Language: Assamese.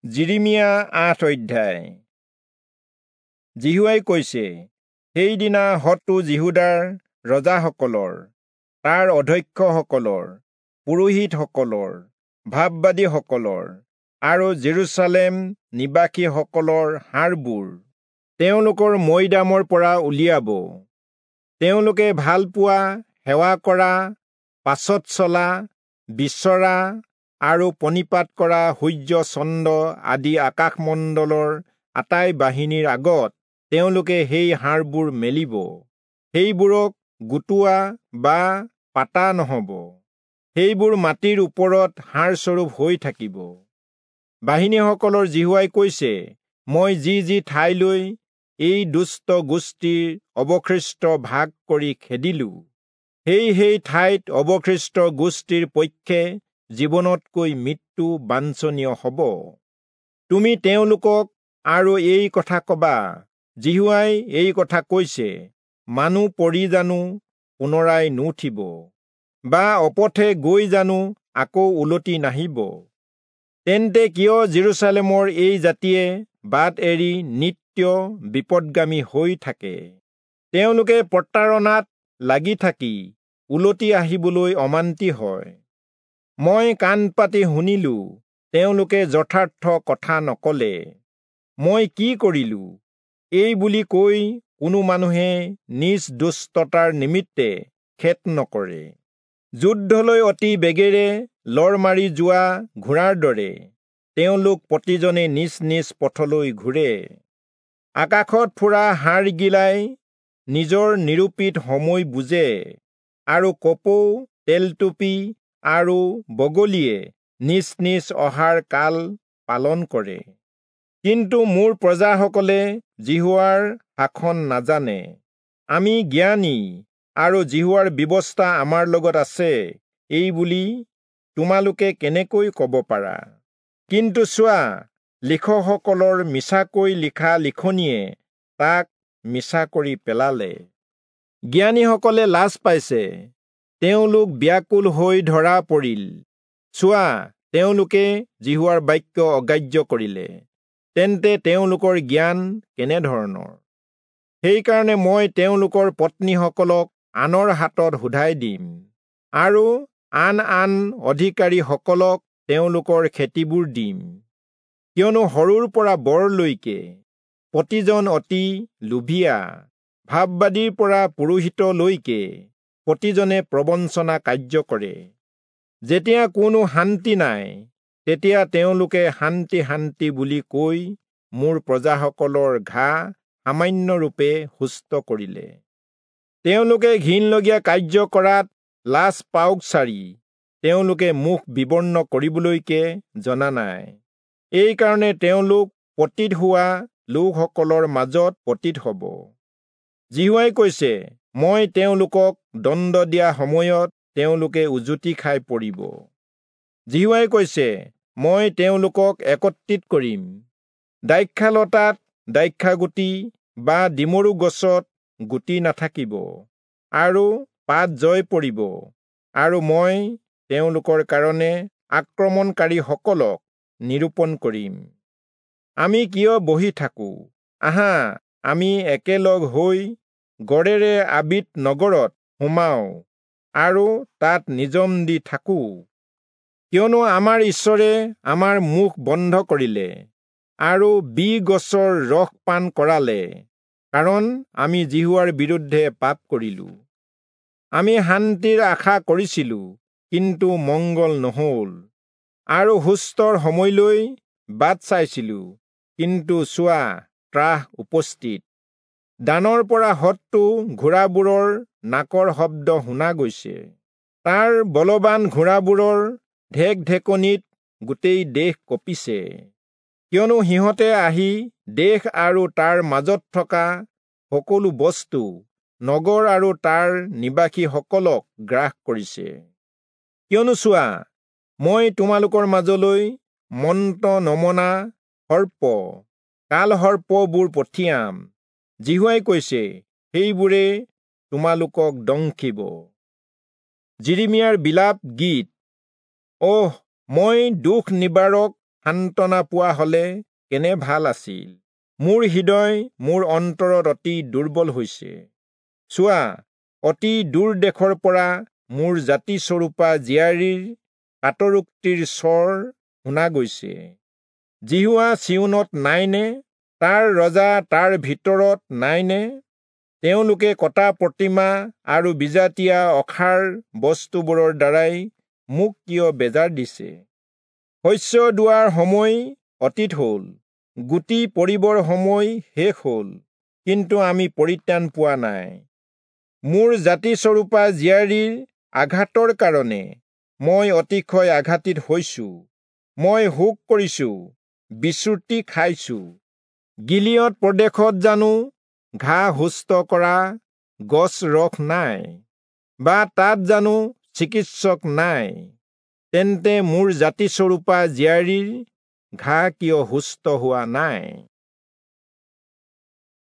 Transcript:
যিৰিমিয়া ৮ অধ্যায়। যিহোৱাই কৈছে, সেইদিনা শত্ৰু যিহূদাৰ ৰজাসকলৰ, তাৰ অধ্যক্ষসকলৰ, পুৰোহিতসকলৰ, ভাববাদীসকলৰ আৰু জেৰুচালেম নিবাসীসকলৰ হাড়বোৰ তেওঁলোকৰ মৈদামৰ পৰা উলিয়াব। তেওঁলোকে ভালপোৱা, সেৱা কৰা, পাছত চলা, বিচৰা আৰু প্ৰণিপাত কৰা সূৰ্য, চন্দ্ৰ আদি আকাশমণ্ডলৰ আটাই বাহিনীৰ আগত তেওঁলোকে সেই হাড়বোৰ মেলিব। সেইবোৰক গোটোৱা বা পাতা নহব, সেইবোৰ মাটিৰ ওপৰত হাড়স্বৰূপ হৈ থাকিব। বাহিনীসকলৰ যিহোৱাই কৈছে, মই যি যি ঠাইলৈ এই দুষ্ট গোষ্ঠীৰ অৱশিষ্ট ভাগ কৰি খেদিলো, সেই সেই ঠাইত অৱশিষ্ট গোষ্ঠীৰ পক্ষে জীৱনতকৈ মৃত্যু বাঞ্ছনীয় হ'ব। তুমি তেওঁলোকক আৰু এই কথা কবা, যিহোৱাই এই কথা কৈছে, মানুহ পৰি জানো পুনৰাই নুঠিব, বা অপথে গৈ জানো আকৌ উলটি নাহিব? তেন্তে কিয় জেৰুচালেমৰ এই জাতিয়ে বাট এৰি নিত্য বিপদগামী হৈ থাকে? তেওঁলোকে প্ৰতাৰণাত লাগি থাকি উলটি আহিবলৈ অমান্তি হয়। মই কাণ পাতি শুনিলো, তেওঁলোকে যথাৰ্থ কথা নকলে। মই কি কৰিলো এই বুলি কৈ কোনো মানুহে নিজ দুষ্টতাৰ নিমিত্তে খেদ নকৰে। যুদ্ধলৈ অতি বেগেৰে লৰ মাৰি যোৱা ঘোঁৰাৰ দৰে তেওঁলোক প্ৰতিজনে নিজ নিজ পথলৈ ঘূৰে। আকাশত ফুৰা হাড়গিলাই নিজৰ নিৰূপিত সময় বুজে, আৰু কপৌ, তেলটুপি আৰু বগলীয়ে নিজ নিজ অহাৰ কাল পালন কৰে। কিন্তু মোৰ প্ৰজাসকলে যিহোৱাৰ শাসন নাজানে। আমি জ্ঞানী আৰু যিহোৱাৰ ব্যৱস্থা আমাৰ লগত আছে, এই বুলি তোমালোকে কেনেকৈ কব পাৰা? কিন্তু চোৱা, লিখকসকলৰ মিছাকৈ লিখা লিখনিয়ে তাক মিছা কৰি পেলালে। জ্ঞানীসকলে লাজ পাইছে, তেওঁলোক ব্যাকুল হৈ ধৰা পৰিল। চোৱা, তেওঁলোকে যিহোৱাৰ বাক্য অগ্ৰাহ্য কৰিলে, তেন্তে তেওঁলোকৰ জ্ঞান কেনেধৰণৰ? সেইকাৰণে মই তেওঁলোকৰ পত্নীসকলক আনৰ হাতত শোধাই দিম, আৰু আন আন অধিকাৰীসকলক তেওঁলোকৰ খেতিবোৰ দিম। কিয়নো সৰুৰ পৰা বৰলৈকে প্ৰতিজন অতি লোভীয়া, ভাববাদীৰ পৰা পুৰোহিতলৈকে প্ৰতিজনে প্ৰবঞ্চনা কাৰ্য কৰে। যেতিয়া কোনো শান্তি নাই, তেতিয়া তেওঁলোকে শান্তি শান্তি বুলি কৈ মোৰ প্ৰজাসকলৰ ঘা সামান্যৰূপে সুস্থ কৰিলে। তেওঁলোকে ঘিণলগীয়া কাৰ্য কৰাত লাজ পাওক চাৰি তেওঁলোকে মুখ বিবৰ্ণ কৰিবলৈকে জনা নাই। এইকাৰণে তেওঁলোক পতিত হোৱা লোকসকলৰ মাজত পতিত হ'ব। যিহোৱাই কৈছে, মই তেওঁলোকক দণ্ড দিয়া সময়ত তেওঁলোকে উজুতি খাই পৰিব। যিহোৱাই কৈছে, মই তেওঁলোকক একত্ৰিত কৰিম। দ্ৰাক্ষালতাত দ্ৰাক্ষাগুটি বা ডিমৰু গছত গুটি নাথাকিব, আৰু পাত জয় পৰিব, আৰু মই তেওঁলোকৰ কাৰণে আক্ৰমণকাৰীসকলক নিৰূপণ কৰিম। আমি কিয় বহি থাকোঁ? আহা, আমি একেলগ হৈ গড়েৰে আবিত নগৰত সোমাওঁ আৰু তাত নিজম দি থাকোঁ। কিয়নো আমাৰ ঈশ্বৰে আমাৰ মুখ বন্ধ কৰিলে আৰু বি গছৰ ৰস পান কৰালে, কাৰণ আমি যিহোৱাৰ বিৰুদ্ধে পাপ কৰিলো। আমি শান্তিৰ আশা কৰিছিলো, কিন্তু মংগল নহল, আৰু সুস্থৰ সময়লৈ বাট চাইছিলো, কিন্তু চোৱা, ত্ৰাস উপস্থিত। দানৰ পৰা শত্ৰু ঘোঁৰাবোৰৰ নাকৰ শব্দ শুনা গৈছে, তাৰ বলৱান ঘোঁৰাবোৰৰ ঢেকঢেকনিত গোটেই দেশ কঁপিছে। কিয়নো সিহঁতে আহি দেশ আৰু তাৰ মাজত থকা সকলো বস্তু, নগৰ আৰু তাৰ নিবাসীসকলক গ্ৰাস কৰিছে। কিয়নো চোৱা, মই তোমালোকৰ মাজলৈ মন্ত্ৰ নমনা সৰ্প, কালসৰ্পবোৰ পঠিয়াম। যিহোৱাই কৈছে, সেইবোৰে তোমালোকক দংশিব। যিৰিমিয়াৰ বিলাপ গীত। অহ, মই দুখ নিবাৰক সান্তনা পোৱা হলে কেনে ভাল আছিল। মোৰ হৃদয় মোৰ অন্তৰত অতি দুৰ্বল হৈছে। চোৱা, অতি দূৰ দেশৰ পৰা মোৰ জাতিস্বৰূপা জীয়াৰীৰ কাতৰোক্তিৰ স্বৰ শুনা গৈছে। যিহোৱা চিয়োনত নাইনে? তাৰ ৰজা তাৰ ভিতৰত নাইনে? তেওঁলোকে কটা প্ৰতিমা আৰু বিজাতীয়া অসাৰ বস্তুবোৰৰ দ্বাৰাই মোক কিয় বেজাৰ দিছে? শস্য দোৱাৰ সময় অতীত হ'ল, গুটি পৰিবৰ সময় শেষ হ'ল, কিন্তু আমি পৰিত্ৰাণ পোৱা নাই। মোৰ জাতিস্বৰূপা জীয়াৰীৰ আঘাতৰ কাৰণে মই অতিশয় আঘাতিত হৈছো। মই শোক কৰিছো, বিচুৰ্তি খাইছো। গিলিয়দ প্ৰদেশত জানো ঘাঁ সুস্থ কৰা গছ ৰস নাই, বা তাত জানো চিকিৎসক নাই? তেন্তে মোৰ জাতিস্বৰূপা জীয়াৰীৰ ঘাঁ কিয় সুস্থ হোৱা নাই?